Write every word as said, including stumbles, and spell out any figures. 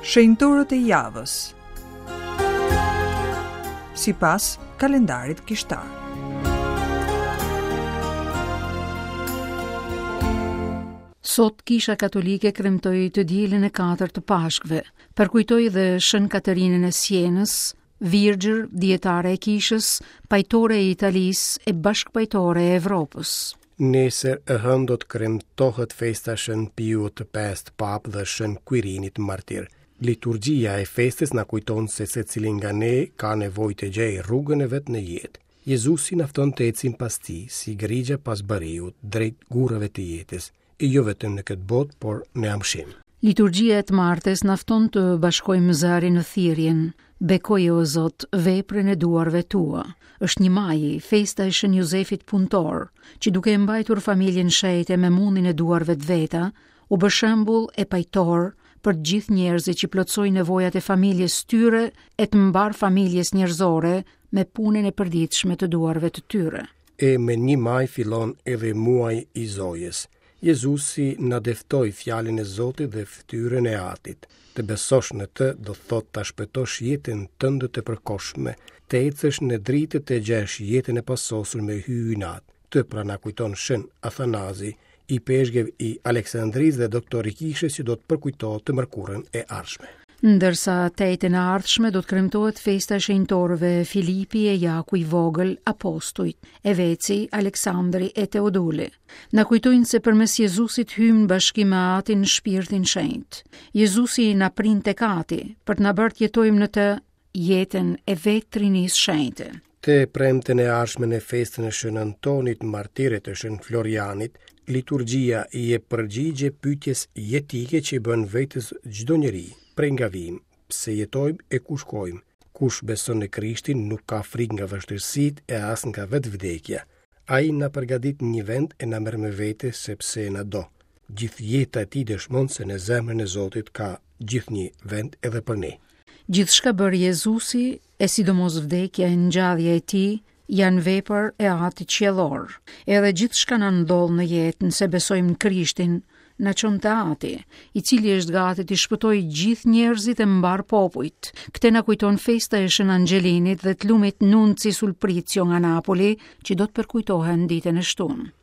Shenjtorët e javës. Sipas kalendarit kishtar. Sot Kisha Katolike kremtoi të dielën e katërt të Pashkëve. Përkujtoi dhe Shën Katerinën e Sienës, virgjër, dietare e kishës, pajtore e Italisë e bashkëpajtore e Evropës. Nesër e hënë do të kremtohet festa Shën Piut të Pestë Papë dhe Shën Quirinit Martir. Liturgjia e festës na kujton se secili nga ne ka nevojë të gjejë rrugën e vet në jetë. Jezusi na fton të ecim pas tij, si grigja pas bariut, drejt gurrave të jetës, e jo vetëm në këtë botë, por në amshim. Liturgjia e të martës na fton të bashkojmë zërin në thirrjen Bekoje o Zot veprën e duarve tua. Është një maji, festa e Shën Jozefit punëtor, që duke e mbajtur familjen shejte me mundin e duarve të veta, u bë shembull e pajtor për të gjithë njerëzit që plotësojnë nevojat e familjes tyre e të mbar familjes njerëzore me punën e përditshme të duarve të tyre. E me një maj fillon edhe muaji i Zojës. Jezusi na dëftoi fjalën e Zotit dhe fytyrën e Atit. Të besosh në të do thotë ta shpëtosh jetën tënde të përkohshme, të ecësh në dritë të gjesh jetën e pasosur me hyjin Atë. Të pra na kujton Shën Athanazi, i peshgev i Aleksandrisë dhe doktor i kishës që do të përkujtohet të mërkurën e ardhshme. Ndërsa të enjten e ardhshme do të kremtohet festa e shenjtorëve Filipi e Jaku i vogël, apostujt, Eveci, Aleksandri e Teoduli. Na kujtojnë se përmes Jezusit hyjmë në bashkim me Atin në Shpirtin Shenjt. Jezusi na prin tek Ati për të na bërë të jetojmë në të jetën e vetë Trinisë Shenjte. Të premten e ardhshme në festën e Shën Antonit, martirit të Shën Florianit, liturgjia i jep përgjigje pyetjes jetike që i bën vetes çdo njeri, prej nga vijmë, pse jetojmë e ku shkojmë. Kush beson në Krishtin nuk ka frikë nga vështirësitë e as nga vetë vdekja. Ai na përgatit një vend e na merr me vete sepse na do. Gjithë jeta e tij dëshmon se në zemrën e Zotit ka gjithnjë vend edhe për ne. Gjithçka bëri Jezusi, e sidomos vdekja e ngjallja e tij, janë vepër e Atit Qiellor. Edhe gjithçka na ndodh në jetë, nëse besojmë në Krishtin, na çon te Ati, i cili është gati të shpëtojë gjithë njerëzit e mbar popujt. Këtë na kujton festa e Shën Angelinit dhe të lumit Nunci Sulprizio nga Napoli, që do të përkujtohen ditën e shtunë.